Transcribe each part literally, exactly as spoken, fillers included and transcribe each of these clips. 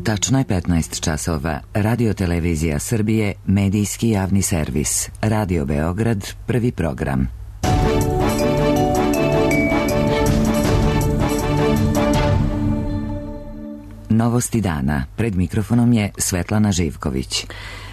Tačno je petnaest časova. Radio Televizija Srbije, medijski javni servis. Radio Beograd, prvi program. Novosti dana. Pred mikrofonom je Svetlana Živković.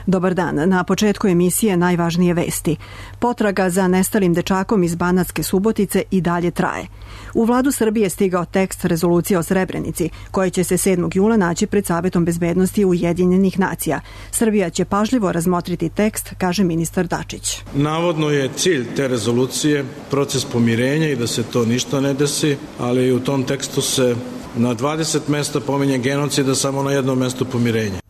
Dobar dan. Na početku emisije najvažnije vesti. Potraga za nestalim dečakom iz Banatske Subotice i dalje traje. U vladu Srbije stigao tekst rezolucije o Srebrenici, koji će se sedmog jula naći pred Savetom bezbednosti Ujedinjenih nacija. Srbija će pažljivo razmotriti tekst, kaže ministar Dačić. Navodno je cilj te rezolucije proces pomirenja i da se to ništa ne desi, ali u tom tekstu se na dvadeset mesta pominje genocida, samo na jednom mestu pomirenja.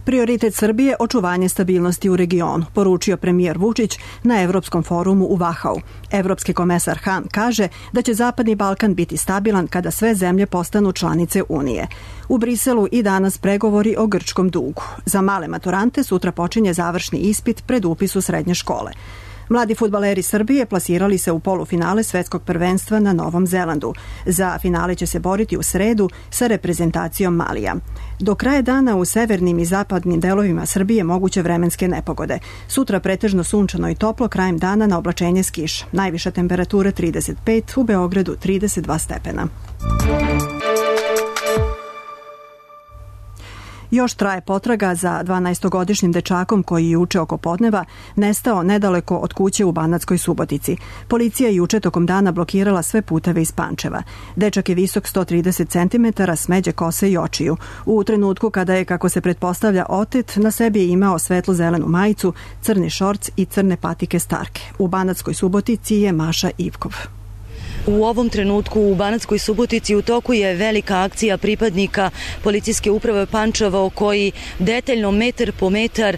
Prioritet Srbije – očuvanje stabilnosti u regionu, poručio premijer Vučić na Evropskom forumu u Vahau. Evropski komesar Han kaže da će Zapadni Balkan biti stabilan kada sve zemlje postanu članice Unije. U Briselu i danas pregovori o grčkom dugu. Za male maturante sutra počinje završni ispit pred upis u srednje škole. Mladi fudbaleri Srbije plasirali se u polufinale svetskog prvenstva na Novom Zelandu. Za finale će se boriti u sredu sa reprezentacijom Malija. Do kraja dana u severnim i zapadnim delovima Srbije moguće vremenske nepogode. Sutra pretežno sunčano i toplo, krajem dana na oblačenje s kiš. Najviša temperatura trideset pet, u Beogradu trideset dva stepena. Još traje potraga za dvanaestogodišnjim dečakom koji je juče oko podneva nestao nedaleko od kuće u Banatskoj Subotici. Policija je juče tokom dana blokirala sve puteve iz Pančeva. Dečak je visok sto trideset centimetara, smeđe kose i očiju. U trenutku kada je, kako se pretpostavlja, otet, na sebi je imao svetlo-zelenu majicu, crni šorc i crne patike Starke. U Banatskoj Subotici je Maša Ivkov. U ovom trenutku u Banatskoj Subotici u toku je velika akcija pripadnika policijske uprave Pančevo koji detaljno metar po metar e,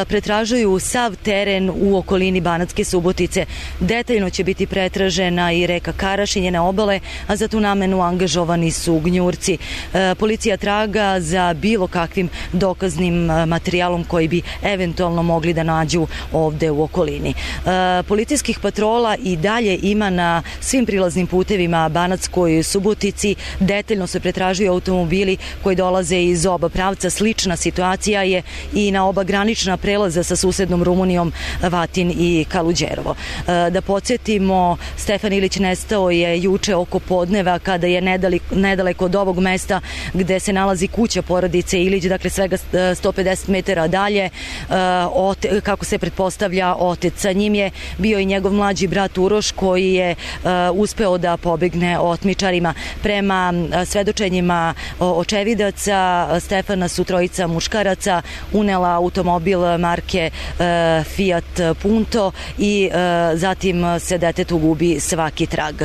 pretražuju sav teren u okolini Banatske Subotice. Detaljno će biti pretražena i reka Karaš i njene obale, a za tu namenu angažovani su gnjurci. E, policija traga za bilo kakvim dokaznim materijalom koji bi eventualno mogli da nađu ovde u okolini. E, policijskih patrola i dalje ima na svim prilaznim putevima Banatskoj Subotici. Detaljno se pretražuju automobili koji dolaze iz oba pravca. Slična situacija je i na oba granična prelaza sa susednom Rumunijom, Vatin i Kaluđerovo. Da podsjetimo, Stefan Ilić nestao je juče oko podneva kada je nedaleko od ovog mesta gde se nalazi kuća porodice Ilić, dakle svega sto pedeset metara dalje, kako se pretpostavlja otet. Sa njim je bio i njegov mlađi brat Uroš koji je uspeo da pobegne otmičarima. Prema svedočenjima očevidaca, Stefana su trojica muškaraca unela automobil marke Fiat Punto i zatim se detetu gubi svaki trag.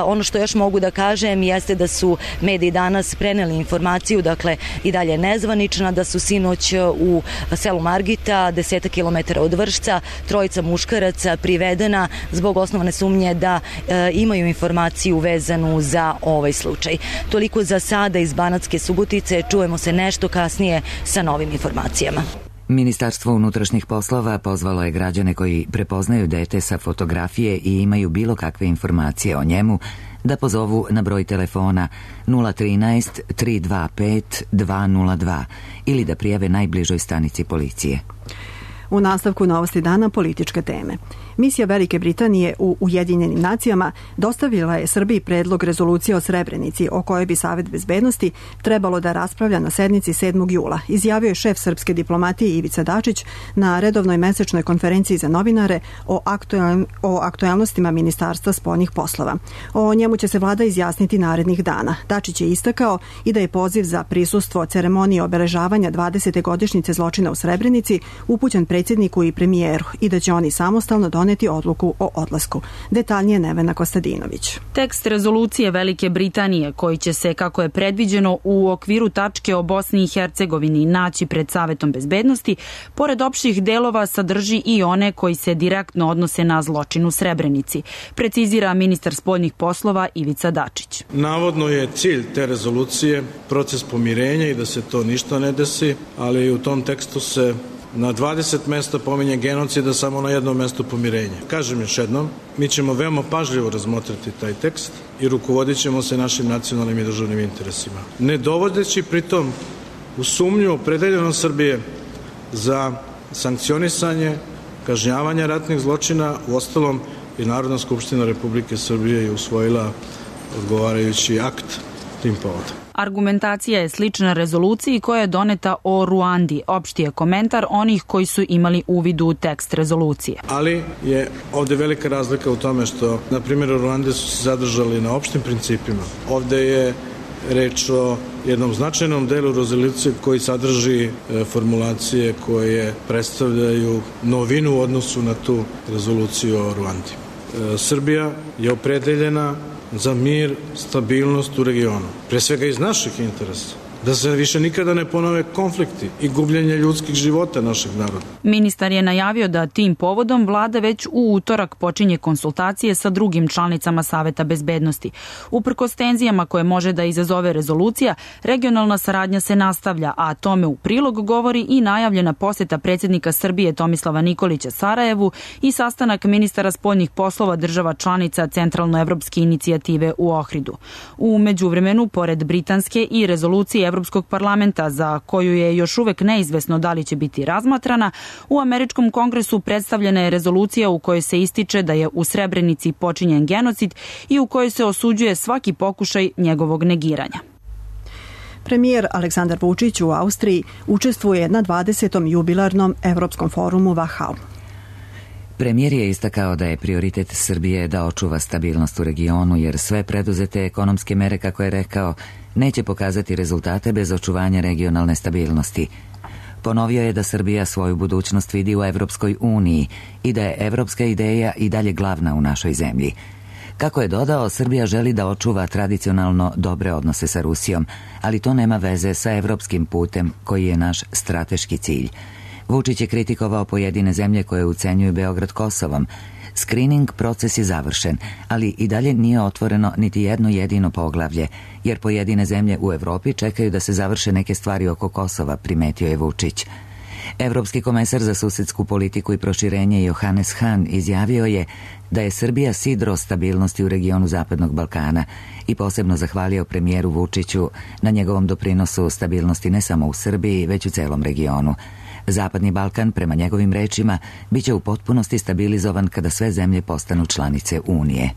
Ono što još mogu da kažem jeste da su mediji danas preneli informaciju, dakle i dalje nezvanična, da su sinoć u selu Margita, desetak kilometara od Vršca, trojica muškaraca privedena zbog osnovane sumnje da imaju informaciju vezanu za ovaj slučaj. Toliko za sada iz Banatske Subotice, čujemo se nešto kasnije sa novim informacijama. Ministarstvo unutrašnjih poslova pozvalo je građane koji prepoznaju dete sa fotografije i imaju bilo kakve informacije o njemu da pozovu na broj telefona nula trinaest tri dva pet dva nula dva ili da prijave najbližoj stanici policije. U nastavku Novosti dana političke teme. Misija Velike Britanije u Ujedinjenim nacijama dostavila je Srbiji predlog rezolucije o Srebrenici o kojoj bi Savet bezbednosti trebalo da raspravlja na sednici sedmog jula. Izjavio je šef srpske diplomatije Ivica Dačić na redovnoj mesečnoj konferenciji za novinare o, aktuel, o aktuelnostima Ministarstva spoljnih poslova. O njemu će se vlada izjasniti narednih dana. Dačić je istakao i da je poziv za prisustvo ceremonije obeležavanja dvadesete godišnjice zločina u Srebrenici upućen predsjedniku i premijeru i da će oni samostalno doneti odluku o odlasku. Detaljnije Nevena Kostadinović. Tekst rezolucije Velike Britanije, koji će se, kako je predviđeno, u okviru tačke o Bosni i Hercegovini naći pred Savetom bezbednosti, pored opštih delova sadrži i one koji se direktno odnose na zločin u Srebrenici, precizira ministar spoljnih poslova Ivica Dačić. Navodno je cilj te rezolucije proces pomirenja i da se to ništa ne desi, ali u tom tekstu se na dvadeset mesta pominje genocida, samo na jednom mestu pomirenje. Kažem još jednom, mi ćemo veoma pažljivo razmotriti taj tekst i rukovodit ćemo se našim nacionalnim i državnim interesima. Ne dovodeći pritom u sumnju opredeljenost Srbije za sankcionisanje, kažnjavanje ratnih zločina. Uostalom i Narodna skupština Republike Srbije je usvojila odgovarajući akt tim povodom. Argumentacija je slična rezoluciji koja je doneta o Ruandi. Opšti je komentar onih koji su imali uvid u tekst rezolucije. Ali je ovde velika razlika u tome što, na primjer, u Ruandi su se zadržali na opštim principima. Ovde je reč o jednom značajnom delu rezolucije koji sadrži formulacije koje predstavljaju novinu u odnosu na tu rezoluciju o Ruandi. Srbija je opredeljena za mir, stabilnost u regionu. Pre svega iz naših interesa. Da se više nikada ne ponove konflikti i gubljenje ljudskih života našeg naroda. Ministar je najavio da tim povodom vlada već u utorak počinje konsultacije sa drugim članicama Saveta bezbednosti. Uprkos tenzijama koje može da izazove rezolucija, regionalna saradnja se nastavlja, a tome u prilog govori i najavljena poseta predsjednika Srbije Tomislava Nikolića Sarajevu i sastanak ministara spoljnih poslova država članica Centralnoevropske inicijative u Ohridu. U međuvremenu, pored britanske i rezolucije Evropskog parlamenta, za koju je još uvek neizvesno da li će biti razmatrana, u Američkom kongresu predstavljena je rezolucija u kojoj se ističe da je u Srebrenici počinjen genocid i u kojoj se osuđuje svaki pokušaj njegovog negiranja. Premijer Aleksandar Vučić u Austriji učestvuje na dvadesetom jubilarnom Evropskom forumu Wachau. Premijer je istakao da je prioritet Srbije da očuva stabilnost u regionu, jer sve preduzete ekonomske mere, kako je rekao, neće pokazati rezultate bez očuvanja regionalne stabilnosti. Ponovio je da Srbija svoju budućnost vidi u Evropskoj uniji i da je evropska ideja i dalje glavna u našoj zemlji. Kako je dodao, Srbija želi da očuva tradicionalno dobre odnose sa Rusijom, ali to nema veze sa evropskim putem koji je naš strateški cilj. Vučić je kritikovao pojedine zemlje koje ucenjuju Beograd Kosovom. Screening proces je završen, ali i dalje nije otvoreno niti jedno jedino poglavlje, jer pojedine zemlje u Evropi čekaju da se završe neke stvari oko Kosova, primetio je Vučić. Evropski komesar za susedsku politiku i proširenje Johannes Hahn izjavio je da je Srbija sidro stabilnosti u regionu Zapadnog Balkana i posebno zahvalio premijeru Vučiću na njegovom doprinosu stabilnosti ne samo u Srbiji, već u celom regionu. Zapadni Balkan, prema njegovim rečima, biće u potpunosti stabilizovan kada sve zemlje postanu članice Unije.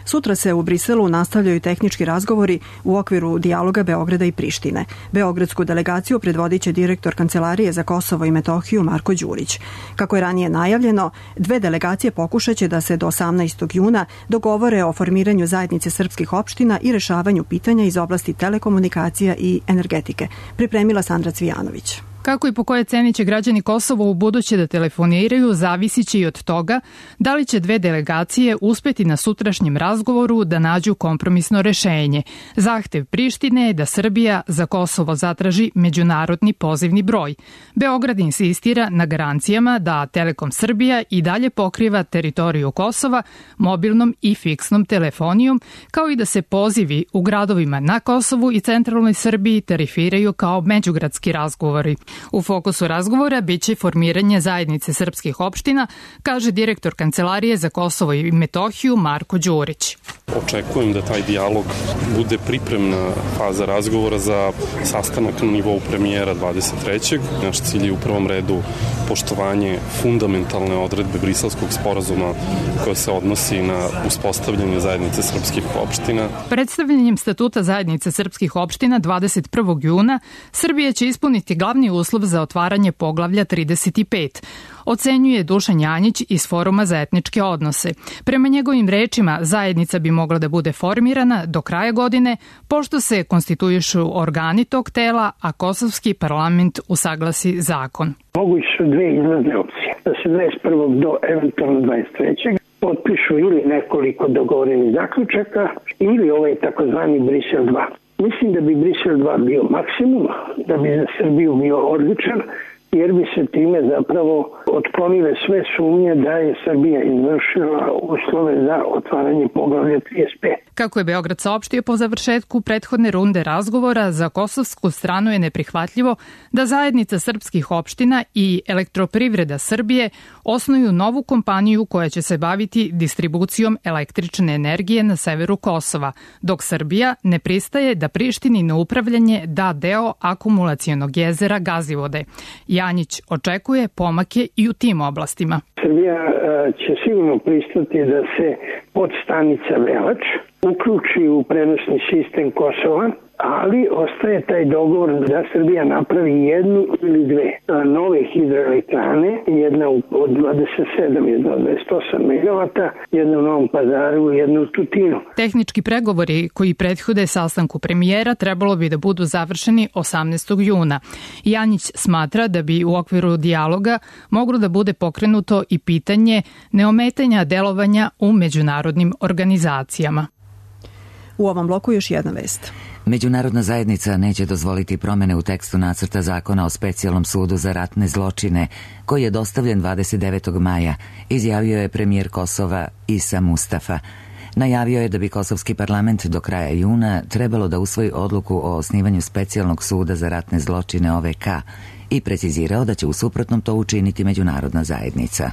Sutra se u Briselu nastavljaju tehnički razgovori u okviru dijaloga Beograda i Prištine. Beogradsku delegaciju predvodit će direktor Kancelarije za Kosovo i Metohiju Marko Đurić. Kako je ranije najavljeno, dve delegacije pokušaće da se do osamnaestog juna dogovore o formiranju zajednice srpskih opština i rešavanju pitanja iz oblasti telekomunikacija i energetike. Pripremila Sandra Cvijanović. Kako i po koje ceni će građani Kosova u buduće da telefoniraju, zavisit će i od toga da li će dve delegacije uspeti na sutrašnjem razgovoru da nađu kompromisno rešenje. Zahtev Prištine je da Srbija za Kosovo zatraži međunarodni pozivni broj. Beograd insistira na garancijama da Telekom Srbija i dalje pokriva teritoriju Kosova mobilnom i fiksnom telefonijom, kao i da se pozivi u gradovima na Kosovu i centralnoj Srbiji tarifiraju kao međugradski razgovori. U fokusu razgovora biće formiranje zajednice srpskih opština, kaže direktor Kancelarije za Kosovo i Metohiju Marko Đurić. Očekujem da taj dijalog bude pripremna faza razgovora za sastanak na nivou premijera dvadeset trećeg Naš cilj je u prvom redu poštovanje fundamentalne odredbe Briselskog sporazuma koja se odnosi na uspostavljanje zajednice srpskih opština. Predstavljanjem statuta zajednice srpskih opština dvadeset prvog juna Srbija će ispuniti glavni uslov za otvaranje poglavlja trideset pet. Ocenjuje Dušan Janjić iz Foruma za etničke odnose. Prema njegovim rečima, zajednica bi mogla da bude formirana do kraja godine, pošto se konstituišu organi tog tela, a kosovski parlament usaglasi zakon. Moguće su dve izlazne opcije, da se dvadeset prvog do eventualno dvadeset trećeg potpišu ili nekoliko dogovorenih zaključaka ili ovaj takozvani Brisel dva. Mislim da bi Brisel dva bio maksimum, da bi za Srbiju bio odličan, jer bi se time zapravo otklonile sve sumnje da je Srbija izvršila uslove za otvaranje poglavlja trideset pet. Kako je Beograd saopštio po završetku prethodne runde razgovora, za kosovsku stranu je neprihvatljivo da zajednica srpskih opština i Elektroprivreda Srbije osnuju novu kompaniju koja će se baviti distribucijom električne energije na severu Kosova, dok Srbija ne pristaje da Prištini na upravljanje da deo akumulacionog jezera Gazivode. Janjić očekuje pomake i u tim oblastima. Srbija će sigurno pristati da se podstanica Velač uključi u prenosni sistem Kosova, ali ostaje taj dogovor da Srbija napravi jednu ili dve nove hidroelektrane, jedna od dvadeset sedam, jedna od dvadeset osam megavata, jedna u Novom Pazaru, jedna u Tutinu. Tehnički pregovori koji prethode sastanku premijera trebalo bi da budu završeni osamnaestog juna. Janjić smatra da bi u okviru dijaloga moglo da bude pokrenuto i pitanje neometanja delovanja u međunarodnim organizacijama. U ovom bloku još jedna vest. Međunarodna zajednica neće dozvoliti promene u tekstu nacrta zakona o specijalnom sudu za ratne zločine, koji je dostavljen dvadeset devetog maja, izjavio je premijer Kosova Isa Mustafa. Najavio je da bi kosovski parlament do kraja juna trebalo da usvoji odluku o osnivanju specijalnog suda za ratne zločine O V K i precizirao da će u suprotnom to učiniti međunarodna zajednica.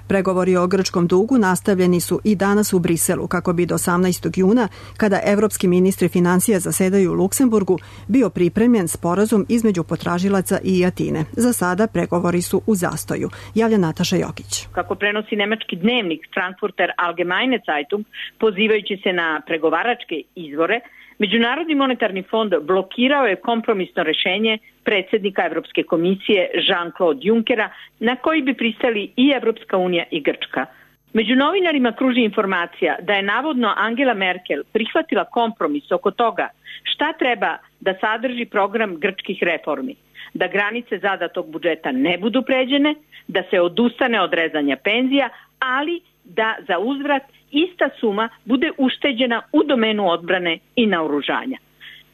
Pregovori o grčkom dugu nastavljeni su i danas u Briselu, kako bi do osamnaestog juna, kada evropski ministri finansija zasedaju u Luksemburgu, bio pripremljen sporazum između potražilaca i Atine. Za sada pregovori su u zastoju, javlja Nataša Jokić. Kako prenosi nemački dnevnik Frankfurter Allgemeine Zeitung, pozivajući se na pregovaračke izvore, Međunarodni monetarni fond blokirao je kompromisno rešenje predsjednika Evropske komisije Jean-Claude Junckera, na koji bi pristali i Evropska unija i Grčka. Među novinarima kruži informacija da je navodno Angela Merkel prihvatila kompromis oko toga šta treba da sadrži program grčkih reformi, da granice zadatog budžeta ne budu pređene, da se odustane od rezanja penzija, ali da za uzvrat ista suma bude ušteđena u domenu odbrane i naoružanja.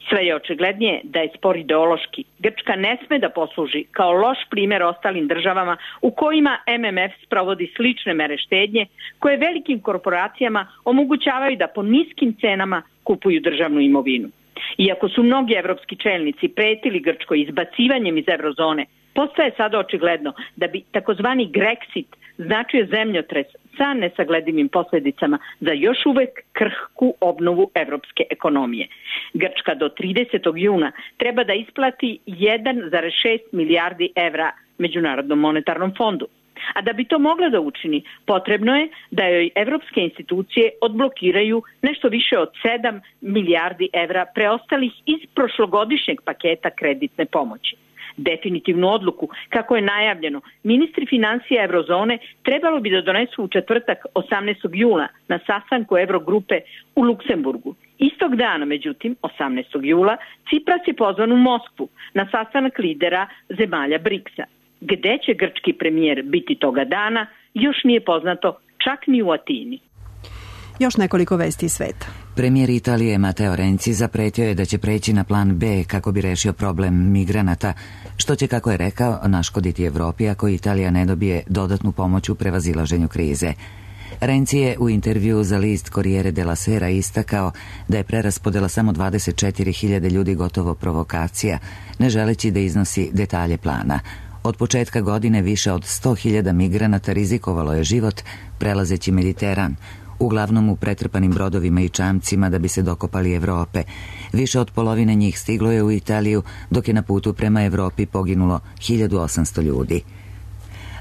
Sve je očiglednije da je spor ideološki. Grčka ne sme da posluži kao loš primjer ostalim državama u kojima M M F sprovodi slične mere štednje koje velikim korporacijama omogućavaju da po niskim cenama kupuju državnu imovinu. Iako su mnogi evropski čelnici pretili Grčkoj izbacivanjem iz eurozone, postaje sada očigledno da bi takozvani Grexit značio zemljotres sa nesagledivim posljedicama za još uvek krhku obnovu evropske ekonomije. Grčka do tridesetog juna treba da isplati jedan zarez šest milijardi evra Međunarodnom monetarnom fondu. A da bi to mogla da učini, potrebno je da joj evropske institucije odblokiraju nešto više od sedam milijardi evra preostalih iz prošlogodišnjeg paketa kreditne pomoći. Definitivnu odluku, kako je najavljeno, ministri finansija eurozone trebalo bi da donesu u četvrtak osamnaestog jula na sastanku Eurogrupe u Luksemburgu. Istog dana, međutim, osamnaestog jula, Cipras je pozvan u Moskvu na sastanak lidera zemalja briksa. Gde će grčki premijer biti toga dana, još nije poznato čak ni u Atini. Još nekoliko vesti iz sveta. Premijer Italije Matteo Renzi zapretio je da će preći na plan B kako bi rešio problem migranata, što će, kako je rekao, naškoditi Evropi ako Italija ne dobije dodatnu pomoć u prevazilaženju krize. Renzi je u intervju za list Corriere della Sera istakao da je preraspodela samo dvadeset četiri hiljade ljudi gotovo provokacija, ne želeći da iznosi detalje plana. Od početka godine više od sto hiljada migranata rizikovalo je život prelazeći Mediteran, uglavnom u pretrpanim brodovima i čamcima da bi se dokopali Evrope. Više od polovine njih stiglo je u Italiju, dok je na putu prema Evropi poginulo hiljadu osamsto ljudi.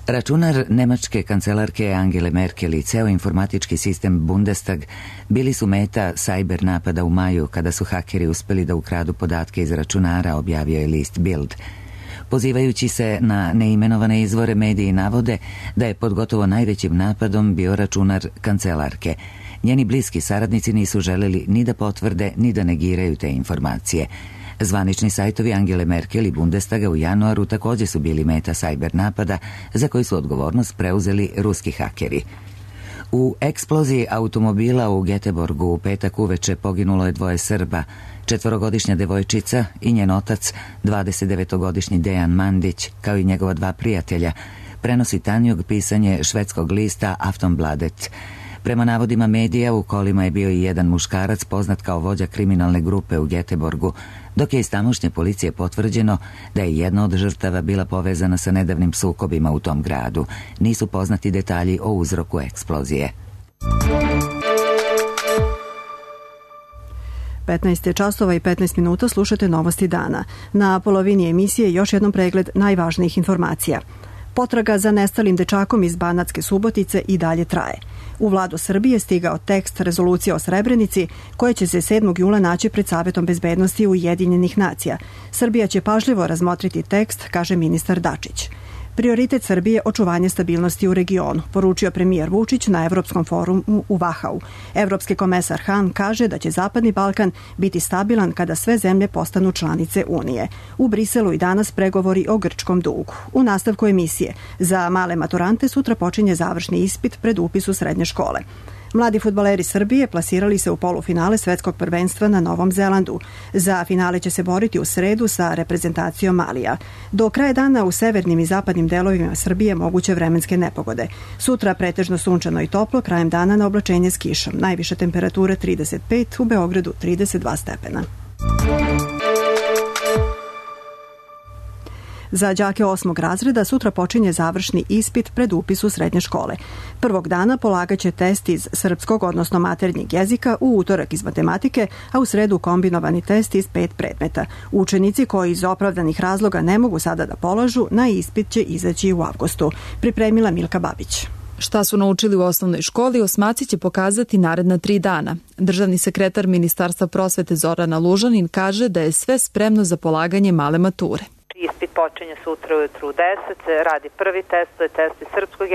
Računar nemačke kancelarke Angele Merkel i ceo informatički sistem Bundestag bili su meta sajber napada u maju kada su hakeri uspeli da ukradu podatke iz računara, objavio je list Bild. Pozivajući se na neimenovane izvore, mediji navode da je pod gotovo najvećim napadom bio računar kancelarke. Njeni bliski saradnici nisu želeli ni da potvrde, ni da negiraju te informacije. Zvanični sajtovi Angele Merkel i Bundestaga u januaru također su bili meta sajber napada za koji su odgovornost preuzeli ruski hakeri. U eksploziji automobila u Göteborgu u petak uveče poginulo je dvoje Srba, četvorogodišnja devojčica i njen otac, dvadesetdevetogodišnji Dejan Mandić, kao i njegova dva prijatelja, prenosi Tanjug pisanje švedskog lista Aftonbladet. Prema navodima medija, u kolima je bio i jedan muškarac poznat kao vođa kriminalne grupe u Göteborgu, dok je iz tamošnje policije potvrđeno da je jedna od žrtava bila povezana sa nedavnim sukobima u tom gradu. Nisu poznati detalji o uzroku eksplozije. petnaest časova i petnaest minuta, slušate Novosti dana. Na polovini emisije još jednom pregled najvažnijih informacija. Potraga za nestalim dečakom iz Banatske Subotice i dalje traje. U Vladu Srbije stigao tekst rezolucije o Srebrenici, koje će se sedmog jula naći pred Savetom bezbednosti Ujedinjenih nacija. Srbija će pažljivo razmotriti tekst, kaže ministar Dačić. Prioritet Srbije očuvanje stabilnosti u regionu, poručio premijer Vučić na Evropskom forumu u Vahau. Evropski komesar Han kaže da će Zapadni Balkan biti stabilan kada sve zemlje postanu članice Unije. U Briselu i danas pregovori o grčkom dugu. U nastavku emisije za male maturante sutra počinje završni ispit pred upis u srednje škole. Mladi fudbaleri Srbije plasirali se u polufinale svetskog prvenstva na Novom Zelandu. Za finale će se boriti u sredu sa reprezentacijom Malija. Do kraja dana u severnim i zapadnim delovima Srbije moguće vremenske nepogode. Sutra pretežno sunčano i toplo, krajem dana na oblačenje s kišom. Najviša temperatura trideset pet, u Beogradu trideset dva stepena. Za đake osmog razreda sutra počinje završni ispit pred upis u srednje škole. Prvog dana polagaće test iz srpskog, odnosno maternjeg jezika, u utorak iz matematike, a u sredu kombinovani test iz pet predmeta. Učenici koji iz opravdanih razloga ne mogu sada da polažu, na ispit će izaći u avgustu. Pripremila Milka Babić. Šta su naučili u osnovnoj školi, osmaci će pokazati naredna tri dana. Državni sekretar Ministarstva prosvete Zorana Lužanin kaže da je sve spremno za polaganje male mature. Ispit počinje sutra ujutru u deset, radi prvi test, to je test iz srpskog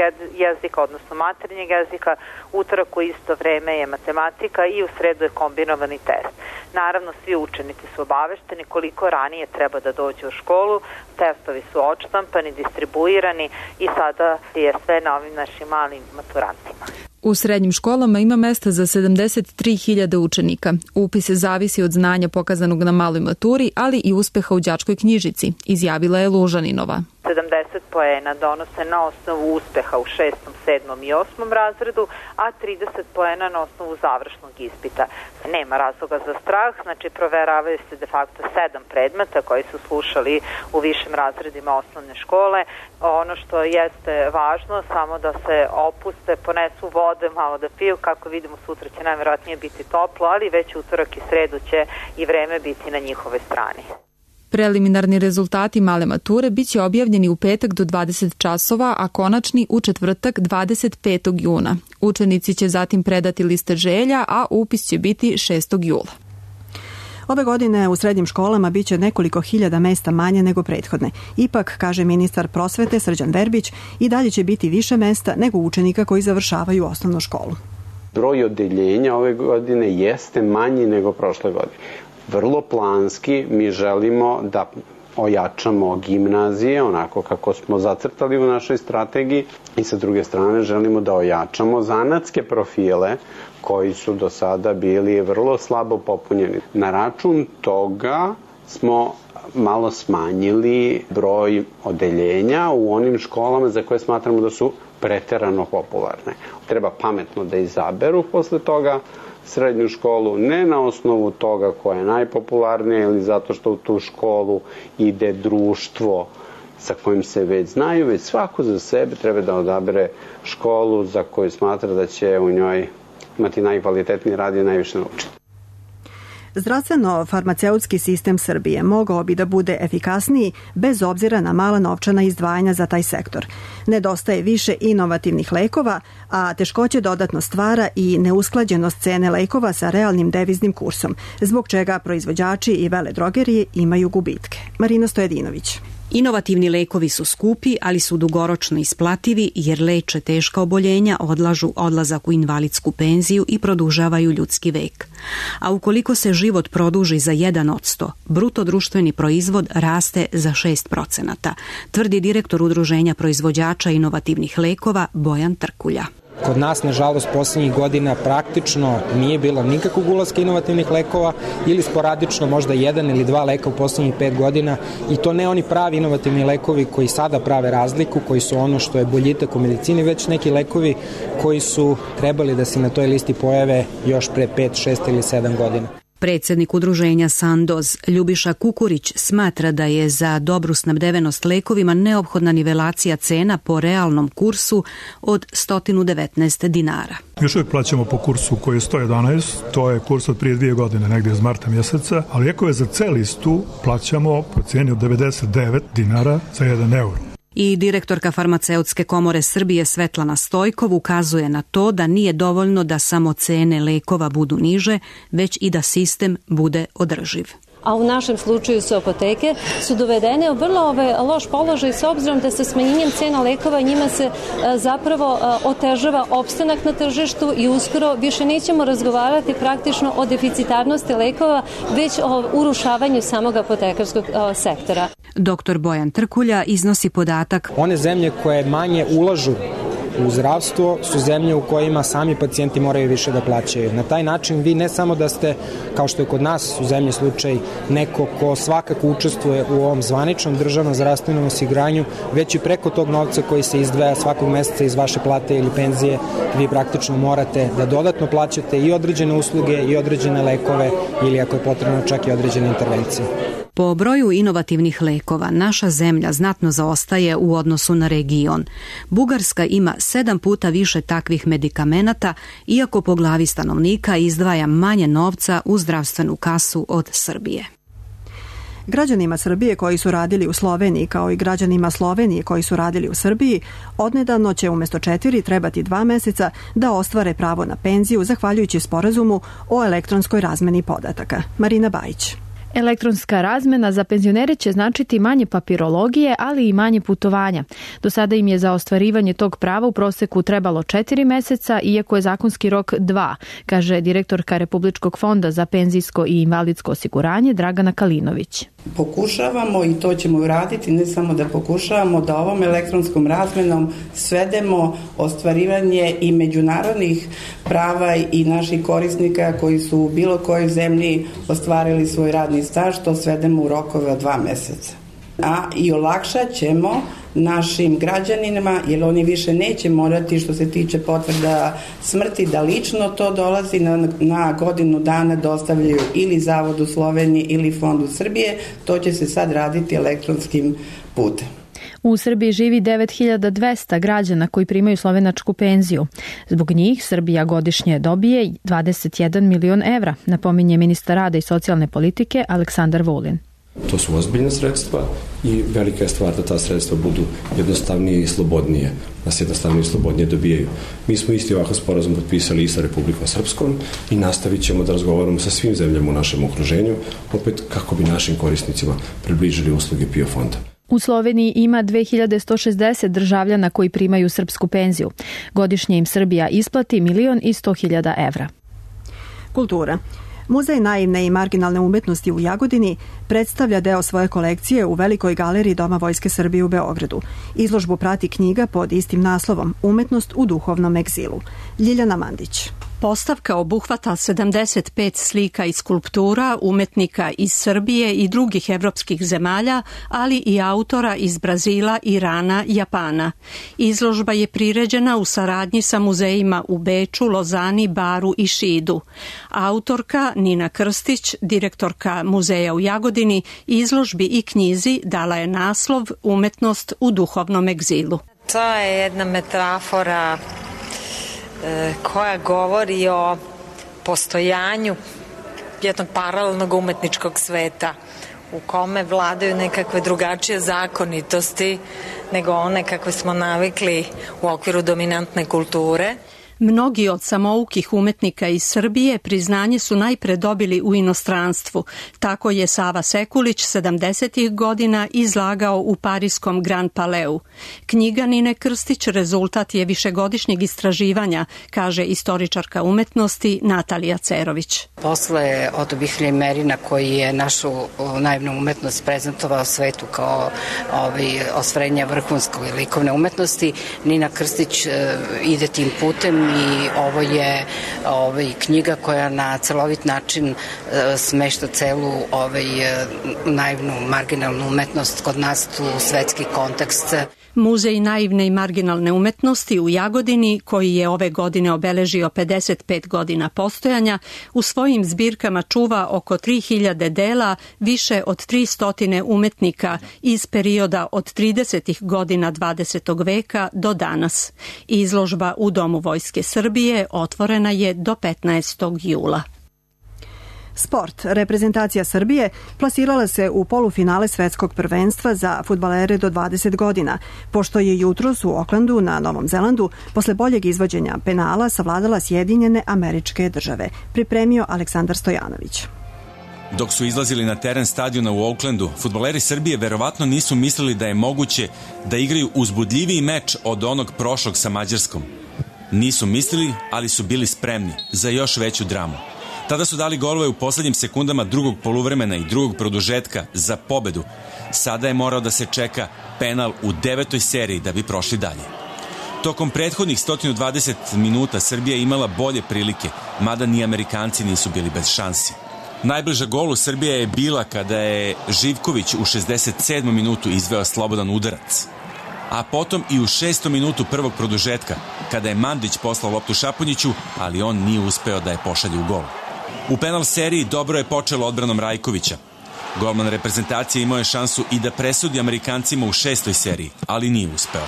jezika, odnosno maternjeg jezika, utorak u isto vreme je matematika i u sredu je kombinovani test. Naravno, svi učenici su obavešteni koliko ranije treba da dođu u školu, testovi su odštampani, distribuirani i sada je sve na ovim našim malim maturantima. U srednjim školama ima mesta za sedamdeset tri hiljade učenika. Upis zavisi od znanja pokazanog na maloj maturi, ali i uspeha u đačkoj knjižici, izjavila je Lužaninova. sedamdeset poena donose na osnovu uspeha u šestom, sedmom i osmom razredu, a trideset poena na osnovu završnog ispita. Nema razloga za strah, znači proveravaju se de facto sedam predmeta koji su slušali u višim razredima osnovne škole. Ono što jeste važno, samo da se opuste, ponesu vode, malo da piju, kako vidimo sutra će najverovatnije biti toplo, ali već utorak i sredu će i vreme biti na njihovoj strani. Preliminarni rezultati male mature biće objavljeni u petak do dvadeset časova, a konačni u četvrtak dvadeset petog juna. Učenici će zatim predati liste želja, a upis će biti šestog jula. Ove godine u srednjim školama biće nekoliko hiljada mesta manje nego prethodne. Ipak, kaže ministar prosvete Srđan Verbić, i dalje će biti više mesta nego učenika koji završavaju osnovnu školu. Broj odeljenja ove godine jeste manji nego prošle godine. Vrlo planski mi želimo da ojačamo gimnazije onako kako smo zacrtali u našoj strategiji i sa druge strane želimo da ojačamo zanatske profile koji su do sada bili vrlo slabo popunjeni. Na račun toga smo malo smanjili broj odeljenja u onim školama za koje smatramo da su preterano popularne. Treba pametno da izaberu posle toga srednju školu, ne na osnovu toga koja je najpopularnija ili zato što u tu školu ide društvo sa kojim se već znaju, već svako za sebe treba da odabere školu za koju smatra da će u njoj imati najkvalitetniji rad i najviše naučiti. Zdravstveno-farmaceutski sistem Srbije mogao bi da bude efikasniji bez obzira na mala novčana izdvajanja za taj sektor. Nedostaje više inovativnih lekova, a teškoće dodatno stvara i neusklađenost cene lekova sa realnim deviznim kursom, zbog čega proizvođači i veledrogerije imaju gubitke. Marina Stojedinović. Inovativni lekovi su skupi, ali su dugoročno isplativi jer leče teška oboljenja, odlažu odlazak u invalidsku penziju i produžavaju ljudski vek. A ukoliko se život produži za jedan odsto, bruto društveni proizvod raste za šest procenata, tvrdi direktor Udruženja proizvođača inovativnih lekova Bojan Trkulja. Kod nas, nažalost, poslednjih godina praktično nije bilo nikakvog ulaska inovativnih lekova ili sporadično možda jedan ili dva leka u poslednjih pet godina i to ne oni pravi inovativni lekovi koji sada prave razliku, koji su ono što je boljitak u medicini, već neki lekovi koji su trebali da se na toj listi pojave još pre pet, šest ili sedam godina. Predsednik udruženja Sandoz Ljubiša Kukurić smatra da je za dobru snabdevenost lekovima neophodna nivelacija cena po realnom kursu od sto devetnaest dinara. Još uvijek plaćamo po kursu koji je sto jedanaest, to je kurs od prije dvije godine, negdje iz marta mjeseca, ali lijekove za C listu plaćamo po cijeni od devedeset devet dinara za jedan euro. I direktorka Farmaceutske komore Srbije Svetlana Stojkov ukazuje na to da nije dovoljno da samo cene lekova budu niže, već i da sistem bude održiv. A u našem slučaju su apoteke, su dovedene u vrlo ovaj, loš položaj s obzirom da sa smanjenjem cena lekova njima se a, zapravo a, otežava opstanak na tržištu i uskoro više nećemo razgovarati praktično o deficitarnosti lekova, već o urušavanju samog apotekarskog a, sektora. Doktor Bojan Trkulja iznosi podatak. One zemlje koje manje ulažu u zdravstvo su zemlje u kojima sami pacijenti moraju više da plaćaju. Na taj način vi ne samo da ste, kao što je kod nas u zemlji slučaj, neko ko svakako učestvuje u ovom zvaničnom državnom zdravstvenom osiguranju, već i preko tog novca koji se izdvaja svakog meseca iz vaše plate ili penzije, vi praktično morate da dodatno plaćate i određene usluge i određene lekove ili ako je potrebno čak i određene intervencije. Po broju inovativnih lekova naša zemlja znatno zaostaje u odnosu na region. Bugarska ima sedam puta više takvih medikamenata, iako po glavi stanovnika izdvaja manje novca u zdravstvenu kasu od Srbije. Građanima Srbije koji su radili u Sloveniji kao i građanima Slovenije koji su radili u Srbiji, odnedavno će umjesto četiri trebati dva meseca da ostvare pravo na penziju zahvaljujući sporazumu o elektronskoj razmeni podataka. Marina Bajić. Elektronska razmena za penzionere će značiti manje papirologije, ali i manje putovanja. Do sada im je za ostvarivanje tog prava u proseku trebalo četiri meseca, iako je zakonski rok dva, kaže direktorka Republičkog fonda za penzijsko i invalidsko osiguranje Dragana Kalinović. Pokušavamo i to ćemo uraditi, ne samo da pokušavamo, da ovom elektronskom razmenom svedemo ostvarivanje i međunarodnih prava i naših korisnika koji su u bilo kojoj zemlji ostvarili svoj radni staž, to svedemo u rokove od dva meseca. A i olakšat ćemo našim građanima, jer oni više neće morati, što se tiče potvrda smrti, da lično to dolazi na, na godinu dana dostavljaju ili Zavodu Slovenije ili Fondu Srbije, to će se sad raditi elektronskim putem. U Srbiji živi devet hiljada dvesta građana koji primaju slovenačku penziju. Zbog njih Srbija godišnje dobije dvadeset jedan milion evra, napominje ministar rada i socijalne politike Aleksandar Vulin. To su ozbiljne sredstva i velika je stvar da ta sredstva budu jednostavnije i slobodnije, da se jednostavnije i slobodnije dobijaju. Mi smo isti ovakav sporazum potpisali i sa Republikom Srpskom i nastavit ćemo da razgovaramo sa svim zemljama u našem okruženju, opet kako bi našim korisnicima približili usluge PIO fonda. U Sloveniji ima dve hiljade sto šezdeset državljana koji primaju srpsku penziju. Godišnje im Srbija isplati milion i sto hiljada evra. Kultura. Muzej naivne i marginalne umetnosti u Jagodini predstavlja deo svoje kolekcije u Velikoj galeriji Doma Vojske Srbije u Beogradu. Izložbu prati knjiga pod istim naslovom Umetnost u duhovnom egzilu. Ljiljana Mandić. Postavka obuhvata sedamdeset pet slika i skulptura umetnika iz Srbije i drugih evropskih zemalja, ali i autora iz Brazila, Irana, Japana. Izložba je priređena u saradnji sa muzejima u Beču, Lozani, Baru i Šidu. Autorka Nina Krstić, direktorka muzeja u Jagodini, izložbi i knjizi dala je naslov Umetnost u duhovnom egzilu. To je jedna metafora koja govori o postojanju jednog paralelnog umetničkog sveta u kome vladaju nekakve drugačije zakonitosti nego one kakve smo navikli u okviru dominantne kulture. Mnogi od samoukih umetnika iz Srbije priznanje su najpre dobili u inostranstvu. Tako je Sava Sekulić sedamdesetih godina izlagao u pariskom Grand Palais. Knjiga Nine Krstić rezultat je višegodišnjeg istraživanja, kaže istoričarka umetnosti Natalija Cerović. Posle Oto Bihlja i Merina, koji je našu naivnu umetnost prezentovao svetu kao ovaj, ostvarenja vrhunskog i likovne umetnosti, Nina Krstić e, ide tim putem i ovo je ovaj, knjiga koja na celovit način e, smešta celu ovaj, naivnu marginalnu umetnost kod nas u svetski kontekst. Muzej naivne i marginalne umetnosti u Jagodini, koji je ove godine obeležio pedeset pet godina postojanja, u svojim zbirkama čuva oko tri hiljade dela više od tristo umetnika iz perioda od tridesetih godina dvadesetog veka do danas. Izložba u Domu Vojske Srbije otvorena je do petnaestog jula. Sport. Reprezentacija Srbije plasirala se u polufinale svetskog prvenstva za fudbalere do dvadeset godina, pošto je jutros u Oklandu na Novom Zelandu posle boljeg izvođenja penala savladala Sjedinjene Američke Države. Pripremio Aleksandar Stojanović. Dok su izlazili na teren stadiona u Oaklandu, fudbaleri Srbije verovatno nisu mislili da je moguće da igraju uzbudljiviji meč od onog prošlog sa Mađarskom. Nisu mislili, ali su bili spremni za još veću dramu. Tada su dali golove u poslednjim sekundama drugog poluvremena i drugog produžetka za pobedu. Sada je morao da se čeka penal u devetoj seriji da bi prošli dalje. Tokom prethodnih sto dvadeset minuta Srbija je imala bolje prilike, mada ni Amerikanci nisu bili bez šansi. Najbliža golu Srbija je bila kada je Živković u šezdeset sedmom minutu izveo slobodan udarac. A potom i u šestom minutu prvog produžetka, kada je Mandić poslao loptu Šapunjiću, ali on nije uspeo da je pošalje u gol. U penal seriji dobro je počelo odbranom Rajkovića. Golman reprezentacije imao je šansu i da presudi Amerikancima u šestoj seriji, ali nije uspeo.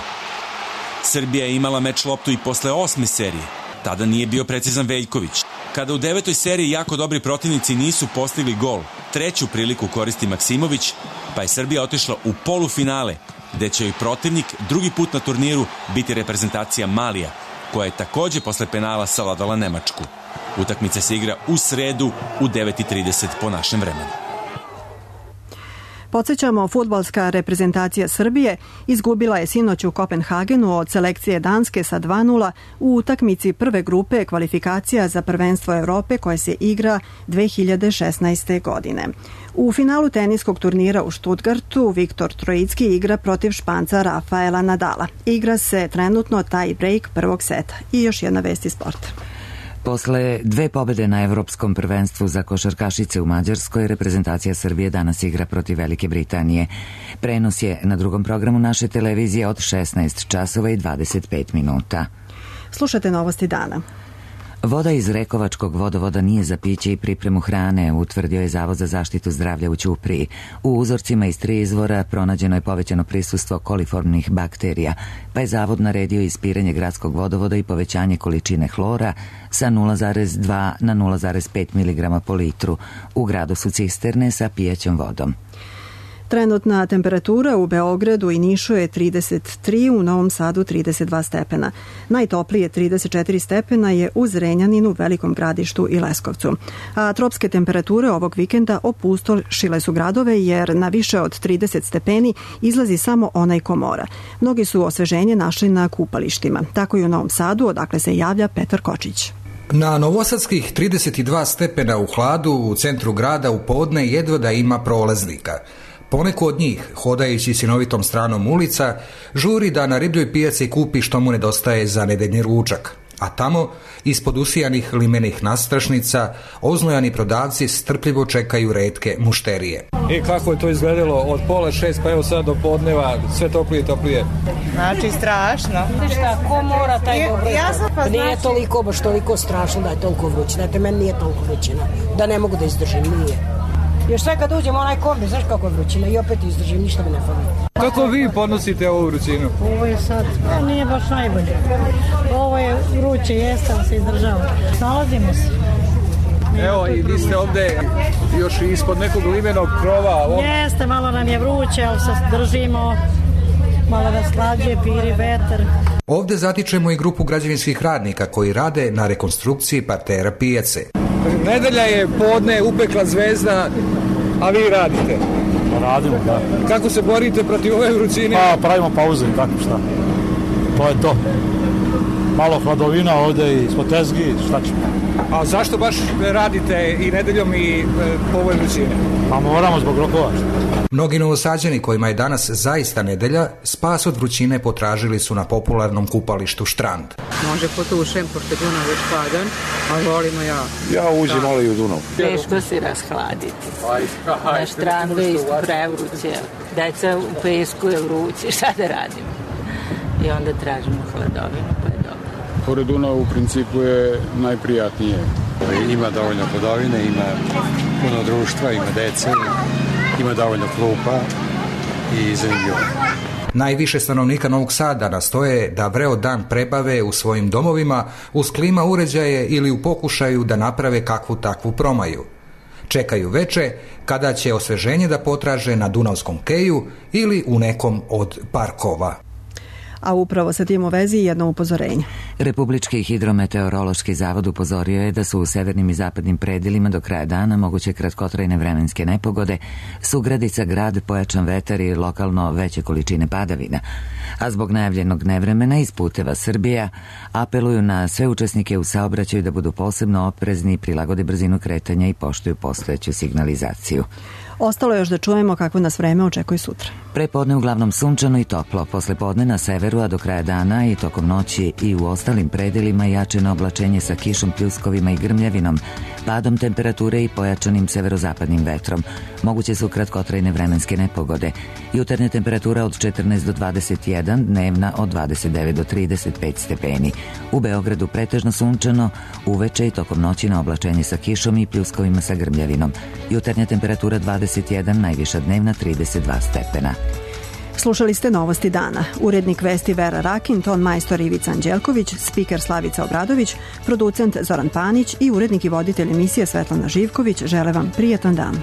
Srbija je imala meč loptu i posle osme serije. Tada nije bio precizan Veljković. Kada u devetoj seriji jako dobri protivnici nisu postigli gol, treću priliku koristi Maksimović, pa je Srbija otišla u polufinale, gde će joj protivnik drugi put na turniru biti reprezentacija Malija, koja je takođe posle penala savladala Nemačku. Utakmica se igra u sredu u devet i trideset po našem vremenu. Podsjećamo, fudbalska reprezentacija Srbije izgubila je sinoć u Kopenhagenu od selekcije Danske sa dva nula u utakmici prve grupe kvalifikacija za prvenstvo Evrope koje se igra dve hiljade šesnaeste. godine. U finalu teniskog turnira u Stuttgartu Viktor Trojicki igra protiv Španca Rafaela Nadala. Igra se trenutno taj break prvog seta. I još jedna vest iz sporta. Posle dve pobede na Evropskom prvenstvu za košarkašice u Mađarskoj, reprezentacija Srbije danas igra protiv Velike Britanije. Prenos je na drugom programu naše televizije od šesnaest časova i dvadeset pet minuta. Slušate novosti dana. Voda iz Rekovačkog vodovoda nije za piće i pripremu hrane, utvrdio je Zavod za zaštitu zdravlja u Ćupriji. U uzorcima iz tri izvora pronađeno je povećano prisustvo koliformnih bakterija, pa je Zavod naredio ispiranje gradskog vodovoda i povećanje količine hlora sa nula zarez dva na nula zarez pet miligrama po litru. U gradu su cisterne sa pijaćom vodom. Trenutna temperatura u Beogradu i Nišu je trideset tri, u Novom Sadu trideset dva stepena. Najtoplije trideset četiri stepena je u Zrenjaninu, Velikom Gradištu i Leskovcu. A tropske temperature ovog vikenda opustošile su gradove jer na više od trideset stepeni izlazi samo onaj ko mora. Mnogi su osveženje našli na kupalištima. Tako i u Novom Sadu, odakle se javlja Petar Kočić. Na novosadskih trideset dva stepena u hladu u centru grada u podne jedva da ima prolaznika. Poneko od njih, hodajući sinovitom stranom ulica, žuri da na ribljoj pijaci kupi što mu nedostaje za nedeljni ručak. A tamo, ispod usijanih limenih nastrašnica, oznojani prodavci strpljivo čekaju retke mušterije. I kako je to izgledalo od pola šest pa evo sad do podneva, sve toplije i toplije. Znači strašno. Šta, ko mora taj dobro? Ja sam pa nije znači... toliko, baš toliko strašno da je toliko vruće. Znate, meni nije toliko vrućina. Da ne mogu da izdržim, nije. Još sve kad uđem onaj kombi, znaš kako je vrućina i opet izdržim, ništa mi ne fali. Kako vi podnosite ovu vrućinu? Ovo je sad, a nije baš najbolje. Ovo je vruće, jeste, ali se izdržava. Snalazimo se. Evo i vi ste ovde još ispod nekog limenog krova. On... Jeste, malo nam je vruće, ali se držimo, malo nas slađe, piri vetar. Ovde zatičemo i grupu građevinskih radnika koji rade na rekonstrukciji partera pijace. Nedelja je podne, upekla zvezda, a vi radite? Radimo, da. Kako se borite protiv ove vrućine? Pa pravimo pauze, kako šta. To je to. Malo hladovina ovde i ispod tezgi, šta ćemo. A zašto baš radite i nedeljom i po ovoj vrućine? Pa moramo zbog rokova. Mnogi Novosađani kojima je danas zaista nedelja, spas od vrućine potražili su na popularnom kupalištu Štrand. Može potušem, pošto je Dunav već hladan, ali volimo ja. Ja uđem malo i u Dunav. Teško se rashladiti. Na Štrandu je isto prevruće. Deca u pesku je vruće, šta da radimo? I onda tražimo hladovinu, pa je dobro. Pored Dunava u principu je najprijatnije. Ima dovoljno hladovine, ima puno društva, ima dece, ima dovoljno klupa i zanimljivo. Najviše stanovnika Novog Sada nastoje da vreo dan prebave u svojim domovima uz klima uređaje ili u pokušaju da naprave kakvu takvu promaju. Čekaju veče kada će osveženje da potraže na Dunavskom keju ili u nekom od parkova. A upravo sa tim u vezi jedno upozorenje. Republički hidrometeorološki zavod upozorio je da su u severnim i zapadnim predelima do kraja dana moguće kratkotrajne vremenske nepogode, sugradica grad, pojačan vetar i lokalno veće količine padavina. A zbog najavljenog nevremena iz puteva Srbija apeluju na sve učesnike u saobraćaju da budu posebno oprezni, prilagode brzinu kretanja i poštuju postojeću signalizaciju. Ostalo je još da čujemo kakvo nas vreme očekuje sutra. Prepodne uglavnom sunčano i toplo, posle podne na severu, a do kraja dana i tokom noći i u ostalim predelima jačeno oblačenje sa kišom, pljuskovima i grmljavinom, padom temperature i pojačanim severozapadnim vetrom. Moguće su kratkotrajne vremenske nepogode. Jutarnja temperatura od četrnaest do dvadeset jedan, dnevna od dvadeset devet do trideset pet stepeni. U Beogradu pretežno sunčano, uveče i tokom noći na oblačenje sa kišom i pljuskovima sa grmljavinom. Jutarnja temperatura dvadeset jedan, najviša dnevna trideset dva stepena. Slušali ste Novosti dana. Urednik vesti Vera Rakin, ton majstor Ivica Anđelković, spiker Slavica Obradović, producent Zoran Panić i urednik i voditelj emisije Svetlana Živković žele vam prijatan dan.